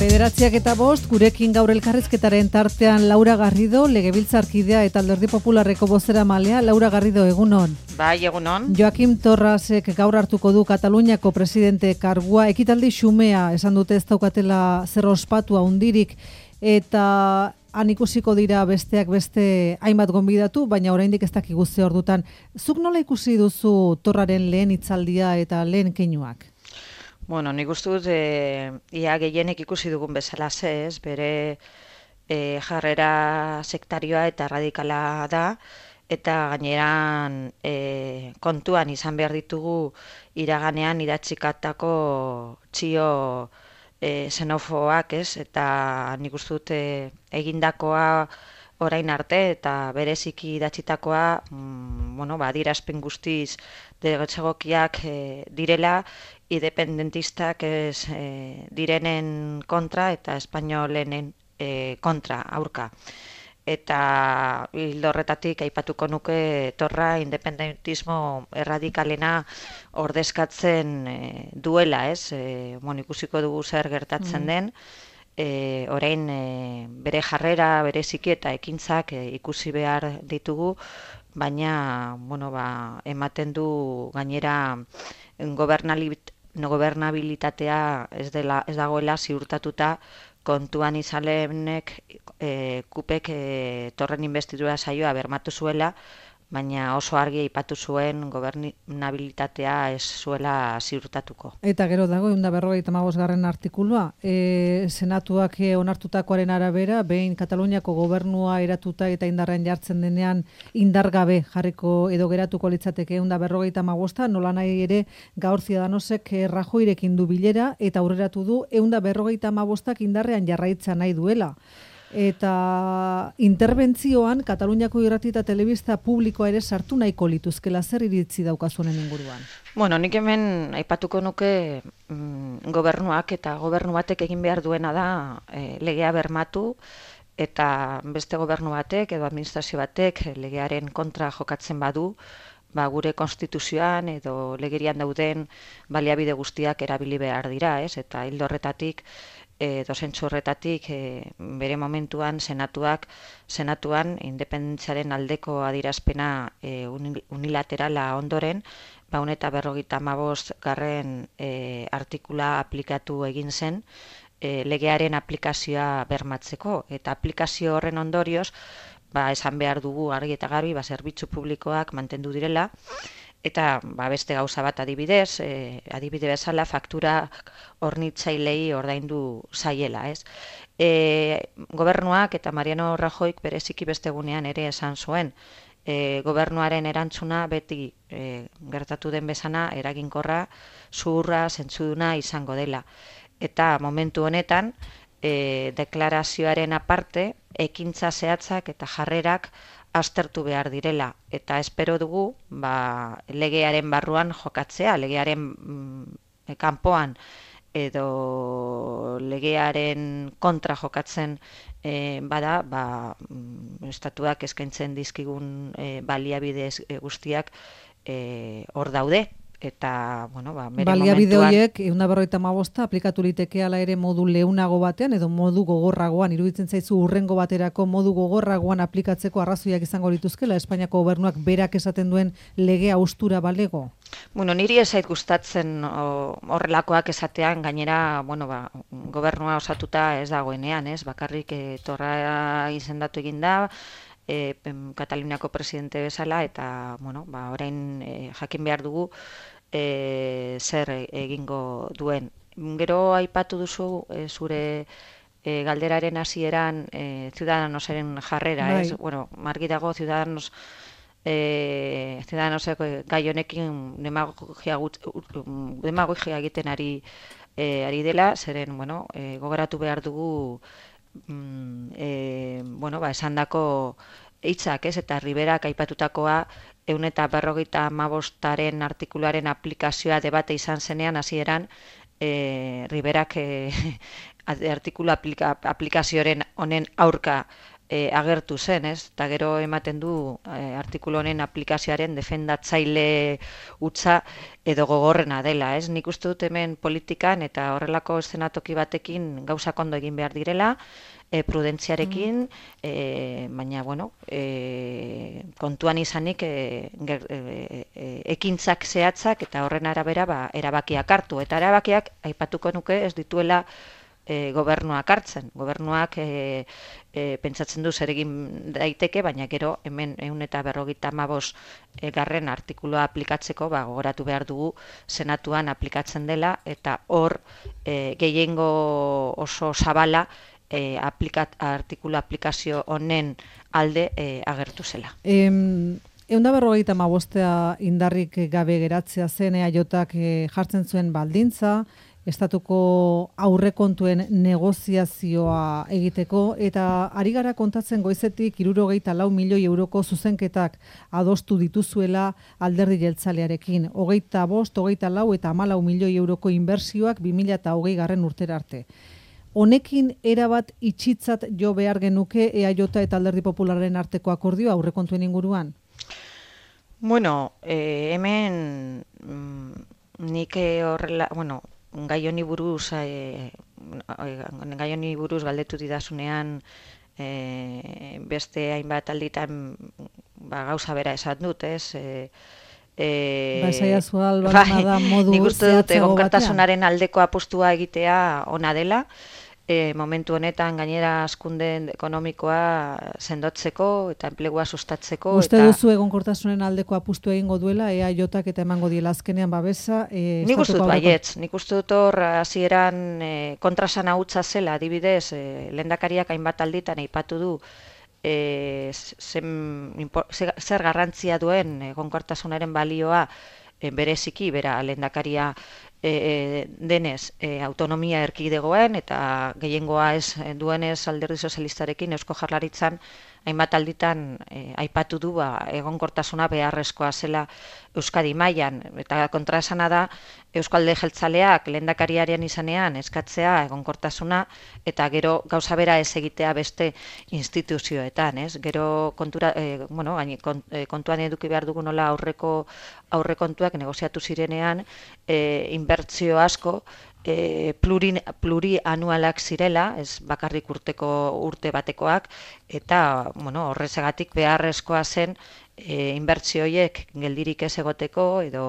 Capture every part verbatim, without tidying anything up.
Bederatziak eta bost, gurekin gaur elkarrizketaren tartean Laura Garrido, legebiltzarkidea eta Alderdi Popularreko bozeramalea. Laura Garrido, egunon. Bai, egunon. Joaquim Torrasek gaur hartuko du Kataluniako presidente kargua. Ekitaldi xumea, esan dute ez daukatela zer ospatua hundirik, eta han ikusiko dira besteak beste hainbat gonbidatu, baina oraindik ez dakigu ze ordutan. Zuk nola ikusi duzu Torraren lehen hitzaldia eta lehen keinuak? Bueno, nik uste dut, e, ia gehienek ikusi dugun bezala ez, bere e, jarrera sektarioa eta radikala da, eta gaineran e, kontuan izan behar ditugu iraganean idatzikatako txio e, xenofoak, ez, eta nik uste dut e, egindakoa orain arte eta bereziki idatzitakoa, mm, bueno, ba, adierazpen guztiz degoetzegokiak e, direla, independentistak ez e, direnen kontra eta espainolenen e, kontra, aurka. Eta ildo horretatik aipatuko nuke Torra independentismo erradikalena ordezkatzen e, duela, ez? E, bueno, ikusiko dugu zer gertatzen mm. den, e, orain e, bere jarrera, bere ziki eta ekintzak e, ikusi behar ditugu, baina bueno, ba, ematen du gainera gobernabilitatea ez, dela, ez dagoela ziurtatuta, kontuan izalenek e, kupek e, Torren investidura saioa bermatu zuela, baina oso argi aipatu zuen gobernabilitatea ez zuela ziurtatuko. Eta gero dago, ehun eta berrogeita hamabosgarren artikulua, e, senatuak onartutakoaren arabera, behin Kataluniako gobernua eratuta eta indarrean jartzen denean indargabe jarriko edo geratuko litzateke ehun eta berrogeita hamabosta, nola nahi ere gaur Ciudadanosek Rajoirekin du bilera eta aurreratu du ehun eta berrogeita hamabostak indarrean jarraitza nahi duela. Eta interbentzioan Kataluniako irrati eta telebista publikoa ere sartu nahiko lituzkela, zer iritzi daukazunen inguruan? Bueno, nik hemen aipatuko nuke mm, gobernuak eta gobernu batek egin behar duena da e, legea bermatu, eta beste gobernu batek edo administrazio batek legearen kontra jokatzen badu, ba, gure konstituzioan edo legerian dauden baliabide guztiak erabili behar dira, ez? Eta hildo horretatik E, dozentzu horretatik e, bere momentuan senatuak senatuan independentziaren aldeko adierazpena e, unilaterala ondoren, ba eta berrogeita hamabost garren e, artikula aplikatu egin zen e, legearen aplikazioa bermatzeko, eta aplikazio horren ondorioz ba, esan behar dugu argi eta garbi ba, zerbitzu publikoak mantendu direla. Eta ba, beste gauza bat adibidez, e, adibide bezala faktura hornitzailei ordaindu zaiela, ez? E, gobernuak eta Mariano Rajoyk bereziki beste egunean ere esan zuen, e, gobernuaren erantzuna beti e, gertatu den bezana eraginkorra, zuhurra, zentzuduna izango dela. Eta momentu honetan, e, deklarazioaren aparte, ekintza zehatzak eta jarrerak aztertu behar direla, eta espero dugu ba, legearen barruan jokatzea, legearen mm, kanpoan edo legearen kontra jokatzen e, bada, ba, mm, estatuak eskaintzen dizkigun e, baliabide guztiak e, hor daude. Eta, bueno, ba, bere baliabide momentuan horiek ehun eta berrogeita hamabosta aplikatu liteke ala ere modu leunago batean edo modu gogorragoan, iruditzen zaizu urrengo baterako modu gogorragoan aplikatzeko arrazoiak izango lituzkela Espainiako gobernuak berak esaten duen legea haustura balego? Bueno, niri ez zait gustatzen o, horrelakoak esatean, gainera, bueno, ba, gobernua osatuta ez dagoenean, ez? Bakarrik e, Torra izendatu egin da, E, Kataluniako presidente bezala, eta bueno, ba, orain e, jakin behar dugu e, zer egingo duen. Gero aipatu duzu e, zure e, galderaren hasieran e, Ciudadanosaren jarrera, bai. Ez? Bueno, margi dago Ciudadanos e, Ciudadanosek gai honekin demagogia, demagogia egiten ari, e, ari dela, zeren bueno, e, gogoratu behar dugu E, bueno, ba, esandako hitzak, ez, eta Riberak aipatutakoa ehun eta berrogeita hamabostaren artikuluaren aplikazioa debate izan zenean hasieran e, Riberak e, artikulu aplika, aplikazioaren honen aurka e, agertu zen, ez? Eta gero ematen du e, artikulu honen aplikazioaren defendatzaile hutsa edo gogorrena dela, ez? Nik uste dut hemen politikan eta horrelako eszenatoki batekin gauzak ondo egin behar direla, e, prudentziarekin, e, baina, bueno, e, kontuan izanik e, ger, e, e, ekintzak zehatzak eta horren arabera ba, erabakiak hartu. Eta erabakiak, aipatuko nuke, ez dituela e, gobernuak hartzen. Gobernuak e, e, pentsatzen du zer egin daiteke, baina gero hemen ehun eta berrogeita hamabost e, garren artikulua aplikatzeko ba, gogoratu behar dugu senatuan aplikatzen dela, eta hor e, gehiengo oso zabala E, aplikat, artikulu aplikazio honen alde e, agertu zela. Em, Eunda berrogeita hamabostea indarrik gabe geratzea zen eaiotak e, jartzen zuen baldintza, estatuko aurrekontuen negoziazioa egiteko, eta ari gara kontatzen goizetik hirurogeita lau milioi euroko zuzenketak adostu dituzuela alderdi jeltzalearekin. Hogeita bost, hogeita lau eta hamalau milioi euroko inbertsioak bi mila hogei garren urtera arte. Honekin erabat itxitzat jo behar genuke eaio eta alderdi popularren arteko akordioa aurrekontuen inguruan? Bueno, eh, hemen mm, nik horrela, bueno, gai honi buruz, eh, gai honi buruz galdetu didasunean eh, beste hainbat alditan ba, gauza bera esan dut, ez? Eh, Eh, ba, esaiazu albalma da modu nik uste dut egonkortasunaren aldeko apostua egitea ona dela. E, momentu honetan gainera hazkunde ekonomikoa sendotzeko eta enplegua sustatzeko. Uste eta... duzu egonkortasunen aldeko apustu egingo duela, eaiotak eta emango diela azkenean babesa? E, nik uste dut baietz, nik uste dut hor hasieran e, kontrasan hutsa zela, adibidez, e, lehendakariak hainbat alditan aipatu du e, zen, zer garrantzia duen egonkortasunaren balioa e, bereziki, bera lehendakaria E, denez e, autonomia erkidegoen eta gehiengoa ez duenez alderdi sozialistarekin Eusko Jaurlaritzan hainbat alditan e, aipatu du ba, egonkortasuna beharrezkoa zela Euskadi mailan, eta kontraesana da Eusko Alderdi Jeltzaleak lehendakariaren izanean eskatzea egonkortasuna eta gero gauza bera ez egitea beste instituzioetan, ez? Gero kontura, e, bueno, kontuan eduki behar dugu nola aurreko aurrekontuak negoziatu zirenean e, inbertsio asko E, pluri, plurianualak zirela, ez bakarrik urteko urte batekoak, eta bueno, horrezagatik beharrezkoa zen e, inbertsio horiek geldirik ez egoteko edo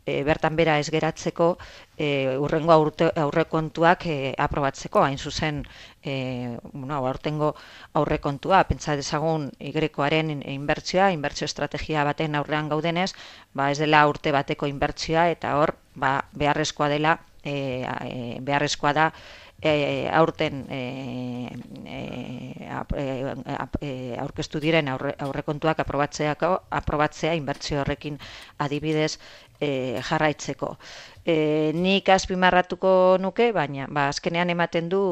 e, bertan bera ez geratzeko e, urrengo aurte, aurrekontuak e, aprobatzeko, hain zuzen e, bueno, aurtengo aurrekontua, pentsa dezagun Y-aren inbertsioa, inbertsio estrategia baten aurrean gaudenez, ba ez dela urte bateko inbertsioa, eta hor ba, beharrezkoa dela E, e, beharrezkoa da e, aurten e, e, e, aurkeztu diren aurre, aurrekontuak aprobatzeako aprobatzea inbertsio horrekin adibidez e, jarraitzeko. E, nik azpimarratuko nuke, baina ba, azkenean ematen du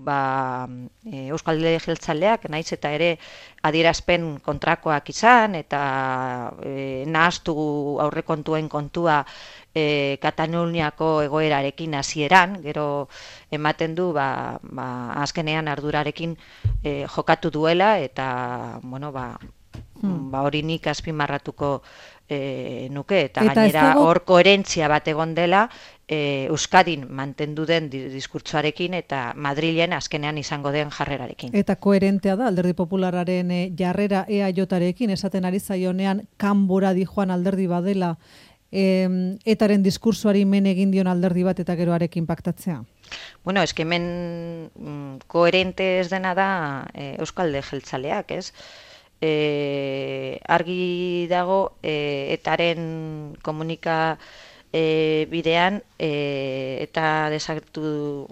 ba, e, Euskal Alderdi Jeltzaleak naiz eta ere adierazpen kontrakoak izan eta e, nahaztu aurrekontuen kontua E, Kataluniako egoerarekin hasieran, gero ematen du ba, ba, azkenean ardurarekin e, jokatu duela eta bueno, ba, hmm. ba, hori nik azpimarratuko e, nuke eta, eta gainera dago... hor koherentzia bat egon dela e, Euskadin mantendu den diskurtsoarekin eta Madrilen azkenean izango den jarrerarekin. Eta koherentea da alderdi populararen e, jarrera eaiotarekin, esaten ari zaionean kanbora dijoan alderdi badela E, etaren diskursoari men egin dion alderdi bat eta geroarekin paktatzea? Bueno, es que hemen mm, koherente ez dena da e, Euskal Alderdi Jeltzaleak, ez? E, argi dago e, etaren komunika e, bidean e, eta desagertu,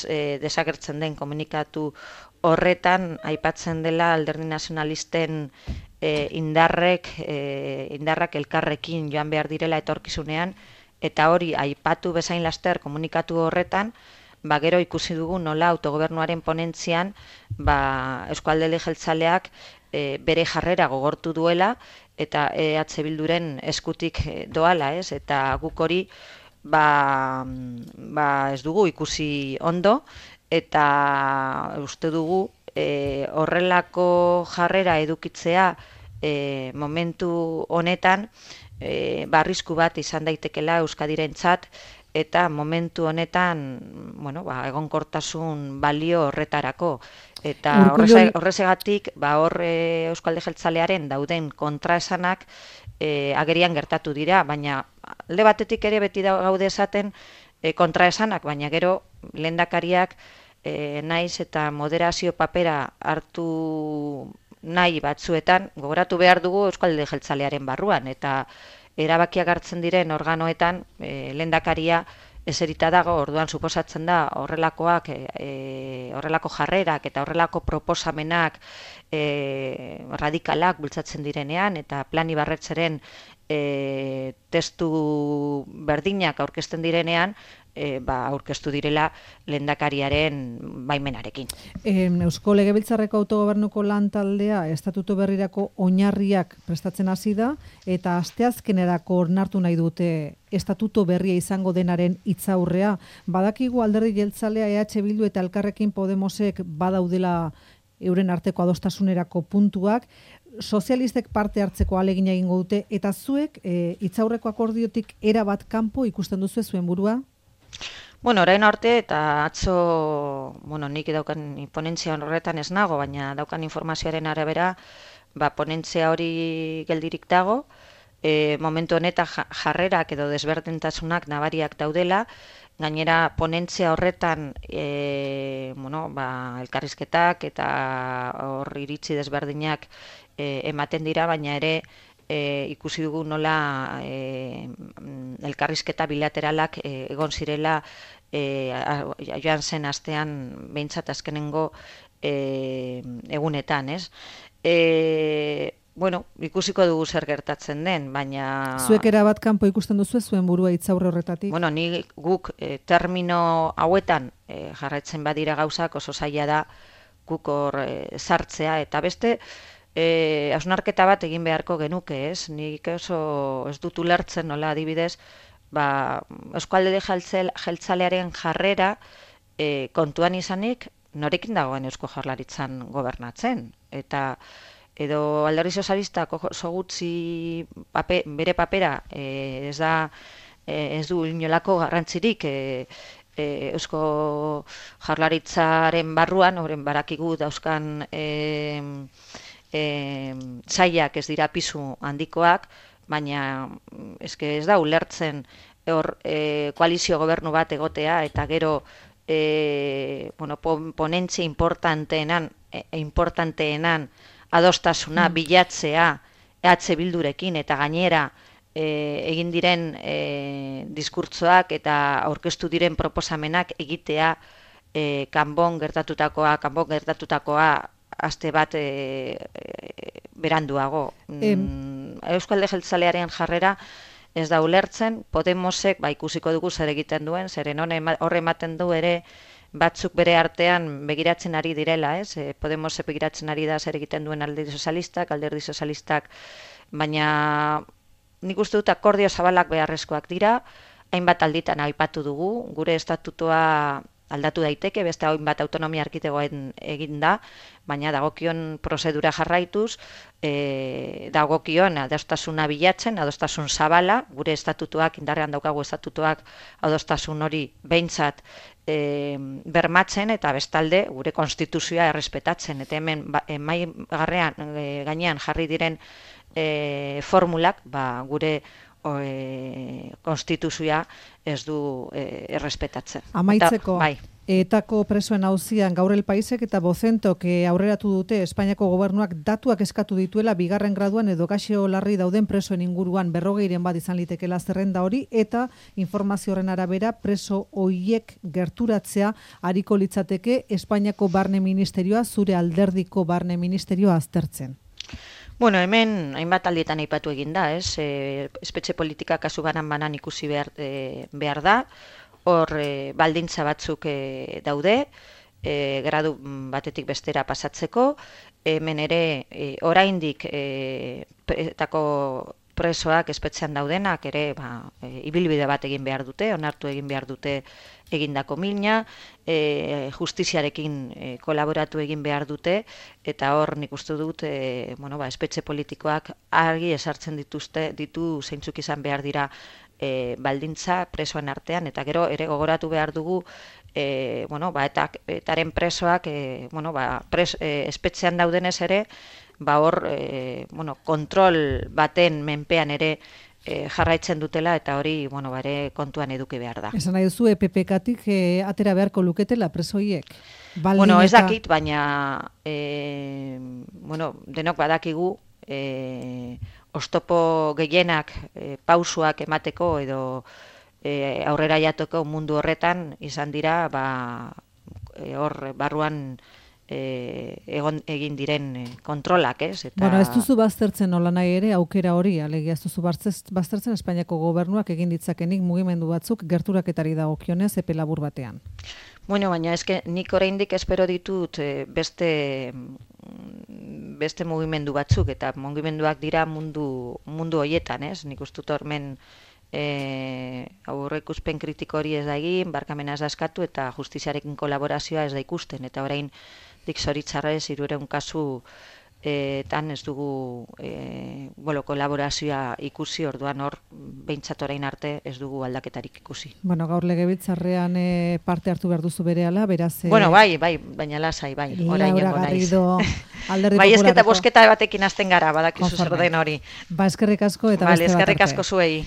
e, desagertzen den komunikatu horretan aipatzen dela alderdi nazionalisten E, indarrek, e, indarrak elkarrekin joan behar direla etorkizunean, eta hori aipatu bezain laster komunikatu horretan, ba gero ikusi dugu nola autogobernuaren ponentzian ba, Eusko Alderdi Jeltzaleak e, bere jarrera gogortu duela eta E H Bilduren eskutik doala, ez? Eta guk hori ba, ba ez dugu ikusi ondo eta uste dugu e, horrelako jarrera edukitzea e, momentu honetan e, barrisku bat izan daitekela Euskadirentzat, eta momentu honetan, bueno, ba, egonkortasun balio horretarako. Eta horreze, horrezegatik, ba, hor e, Eusko Alderdi Jeltzalearen dauden kontraesanak e, agerian gertatu dira, baina alde batetik ere beti da gaude esaten e, kontraesanak, baina gero lehendakariak e, naiz eta moderazio papera hartu nahi batzuetan, gogoratu behar dugu Eusko Alderdi Jeltzalearen barruan, eta erabakiak hartzen diren organoetan e, lehendakaria eserita dago, orduan suposatzen da horrelakoak, e, horrelako jarrerak eta horrelako proposamenak e, radikalak bultzatzen direnean, eta Plan Ibarretxeren e, testu berdinak aurkezten direnean, E, ba, aurkeztu direla lehendakariaren baimenarekin. E, Eusko Legebiltzarreko autogobernuko lan taldea estatutu berrirako oinarriak prestatzen hasi da, eta asteazkenerako onartu nahi dute estatuto berria izango denaren hitzaurrea. Badakigu Alderdi Jeltzalea, E H Bildu eta Elkarrekin Podemosek badaudela euren arteko adostasunerako puntuak, sozialistek parte hartzeko ahalegina egingo dute, eta zuek e, hitzaurreko akordiotik erabat kanpo ikusten duzu zuen burua? Bueno, orain arte eta atzo, bueno, nik daukan ponentzia horretan ez nago, baina daukan informazioaren arabera, ba, ponentzia hori geldirik dago, e, momentu honetan jarrerak edo desberdintasunak nabariak daudela, gainera ponentzia horretan e, bueno, ba, elkarrizketak eta hor iritzi desberdinak e, ematen dira, baina ere E, ikusi dugu nola e, elkarrizketa bilateralak e, egon zirela e, a, joan zen astean behintzat azkenengo e, egunetan, ez? E, bueno, ikusiko dugu zer gertatzen den, baina... Zuek erabat kanpo ikusten duzu zuen burua hitzaurre horretatik? Bueno, ni guk e, termino hauetan e, jarraitzen badira gauzak oso zaila da guk hor e, sartzea, eta beste... E, hausnarketa bat egin beharko genuke, ez? Nik oso ez dut ulertzen, nola adibidez, ba, Eusko Alderdi Jeltzalearen jarrera e, kontuan izanik norekin dagoen Eusko Jaurlaritzan gobernatzen. Eta edo Alderdi Sozialistak oso gutxi pape, bere papera e, ez da e, ez du inolako garrantzirik e, e, Eusko Jaurlaritzaren barruan, horren barakigu dauzkan e, E, zaiak ez dira pisu handikoak, baina eske ez da ulertzen hor e, koalizio gobernu bat egotea, eta gero e, bueno, ponentzia importanteenan, e, importanteenan adostasuna mm. bilatzea E H Bildurekin, eta gainera e, egin diren e, diskurtsoak eta aurkeztu diren proposamenak egitea e, kanbon gertatutakoa, kanbon gertatutakoa aste bat e, e, beranduago. Mm, Eusko Alderdi Jeltzalearen jarrera ez da ulertzen, Podemosek ba, ikusiko dugu zer egiten duen, zeren horre ematen du ere batzuk bere artean begiratzen ari direla, ez? E, Podemosek begiratzen ari da zer egiten duen Alderdi Sozialistak, Alderdi Sozialistak, baina nik uste dut akordio zabalak beharrezkoak dira, hainbat alditan aipatu dugu, gure estatutoa aldatu daiteke, beste hainbat autonomia erkidegoen egin da, baina dagokion prozedura jarraituz, e, dagokion adostasuna bilatzen, adostasun zabala, gure estatutuak, indarrean daukagu estatutuak adostasun hori behintzat e, bermatzen, eta bestalde gure konstituzioa errespetatzen, eta hemen ba, mai garrean, e, gainean jarri diren e, formulak, ba, gure E, konstituzioa ez du e, errespetatzen. Amaitzeko, eta, bai. Etako presoen auzian gaur El Paisek eta Bozentok aurreratu dute Espainiako gobernuak datuak eskatu dituela bigarren graduan edo gaixo larri dauden presoen inguruan, berrogeiren bat izan litekela zerrenda hori, eta informazio horren arabera preso hoiek gerturatzea ariko litzateke Espainiako Barne Ministerioa, zure alderdiko Barne Ministerioa aztertzen. Bueno, hemen hainbat aldietan aipatu egin da, ez? E, espetxe politika kasu banan-banan ikusi behar, e, behar da, hor e, baldintza batzuk e, daude, e, gradu batetik bestera pasatzeko, hemen ere e, oraindik e, etako presoak espetxean daudenak ere ba, e, ibilbide bat egin behar dute, onartu egin behar dute egindako mina, e, justiziarekin e, kolaboratu egin behar dute, eta hor nik uste dut e, bueno, ba, espetxe politikoak argi esartzen dituzte, ditu zeintzuk izan behar dira e, baldintza presoen artean, eta gero ere gogoratu behar dugu E, bueno, ba, eta etaren presoak e, bueno, ba, pres, e, espetxean daudenez ere, ba, hor e, bueno, kontrol baten menpean ere e, jarraitzen dutela, eta hori bueno, ba, ere kontuan eduki behar da. Esan nahi duzu, E P P-katik e, atera beharko luketela presoiek? Baldin Bueno, ez eta... dakit, baina e, bueno, denok badakigu e, oztopo gehienak e, pausuak emateko edo E, aurrera jatoko mundu horretan izan dira ba, e, hor barruan e, egon, egin diren e, kontrolak, ez? Eta... Bueno, ez duzu baztertzen nola nahi ere aukera hori, alegia ez duzu baztertzen Espainiako gobernuak egin ditzakenik mugimendu batzuk gerturaketari dagokionez epe labur batean. Bueno, baina eske nik oraindik espero ditut e, beste beste mugimendu batzuk, eta mugimenduak dira mundu mundu hoietan, ez? Nik uste dut hormen E, aurreikuspen kritiko hori ez da egin, barkamena ez da eskatu eta justiziarekin kolaborazioa ez da ikusten, eta orain dik zoritzarrez hirurehun kasu e, tan ez dugu e, bueno, kolaborazioa ikusi, orduan hor behintzat orain arte ez dugu aldaketarik ikusi. Bueno, gaur legebiltzarrean e, parte hartu behar duzu berehala, beraz... E, bueno, bai, bai, baina lasai, bai, orain Laura Garrido, Alderdi bai, Popularreko. bai, esketa bosketa batekin hasten gara, badakizu zer den hori. Ba, eskerrik asko eta vale, beste bat arte. Eskerrik asko zuei.